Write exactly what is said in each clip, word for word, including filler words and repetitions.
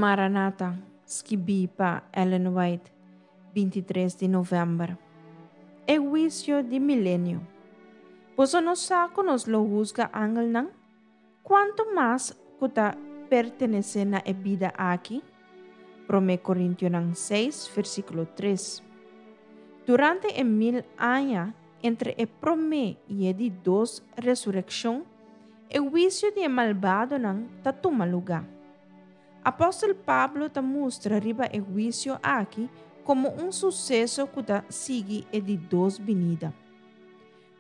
Maranata, skibí pa Ellen White, binti tres di novèmber. E huisio di milenio. Boso no sa ku nos lo husga angelnan? Kuantu mas ku ta pertenesé na e bida aki? Promé Korintionan seis, versíkulo tres. Durante e mil aña entre e promé i e di dos resurekshon, e huisio di e malbadonan ta tuma lugá. Apòstel Pablo ta mustra riba e huisio aki komo un suseso ku ta sigui e di dos binida.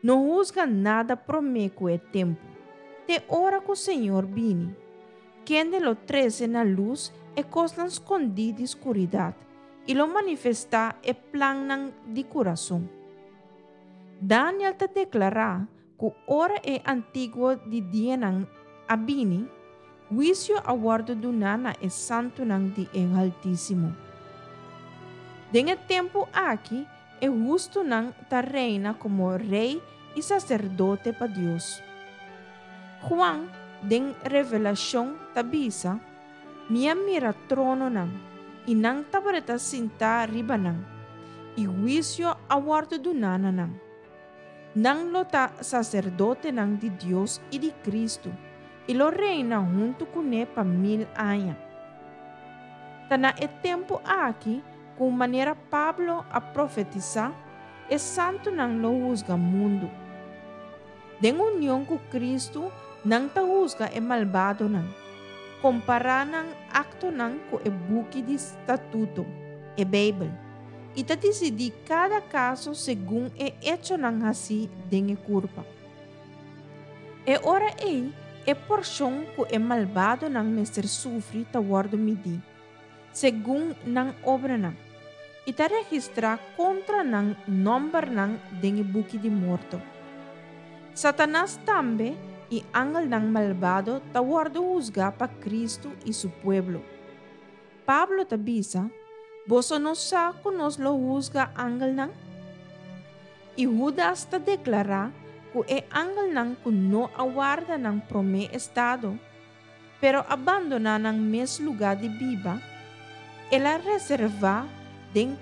No husga nada promé ku e tempu, te ora ku Señor bini, kende lo trese na lus e kosnan skondí di skuridat i lo manifestá e plannan di kurason. Daniel ta deklará ku ora e Antiguo di Dianan a bini, huisio a wòrdu duná na e santunan di e Haltísimo. Den e tempu aki e hustunan ta reina komo rei i saserdote pa Dios. Juan den Revelashon ta bisa, Mi a mira trononan, i nan tabata sintá riba nan, i huisio a wòrdu duná na nan. Nan lo ta saserdotenan di Dios i di Kristu, i lo reina huntu kuné pa mil aña. Ta na e tempu aki ku manera Pablo a profetisá, e santunan lo husga mundu. Den union ku Kristu, nan ta husga e malbadonan, kompará nan aktonan ku e buki di statuto, e Beibel, i ta disidí kada kaso segun e echonan hasí den e kurpa. E ora ei, e porshon ku e malbadonan mester sufri ta wòrdu midí, segun nan obranan, i ta registrá kontra nan nòmbernan den e buki di morto. Satanas tambe i angelnan malbado ta wòrdu husgá pa Kristu i su pueblo. Pablo ta bisa, Boso no sa ku nos lo husga angelnan? I Hudas ta deklará ku e angelnan ku no a warda nan promé estado, pero a bandoná nan mes lugá di biba, el a reservá den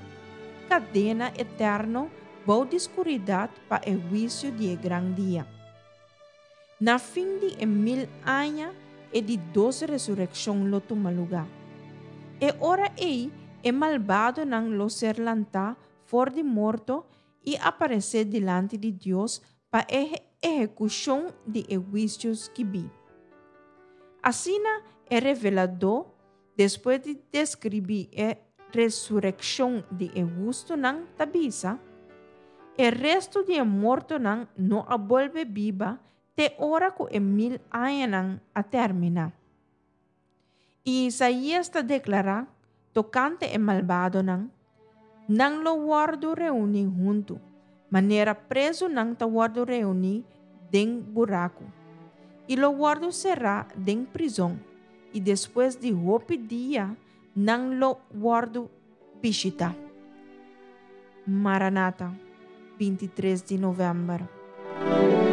kadena eterno bou di skuridat pa e huisio di e gran dia. Na fin di e mil aña e di dos resurekshon lo tuma lugá. E ora ei e malbadonan lo ser lantá for di morto i aparesé dilanti di Dios pa e ehekushon di e huisio skibí. Asina e Reveladó, despues di deskribí e resurekshon di e hustunan, ta bisa, E restu di e mortonan no a bolbe biba te ora ku e mil añanan a terminá. I Isaías ta deklará tokante e malbadonan, Nan lo wòrdu reuní huntu, manera prezunan ta wòrdu reuní den buraku, i lo wòrdu será den prizòn, i despues di hopi dia nan lo wòrdu bishitá. Maranata, binti tres di novèmber.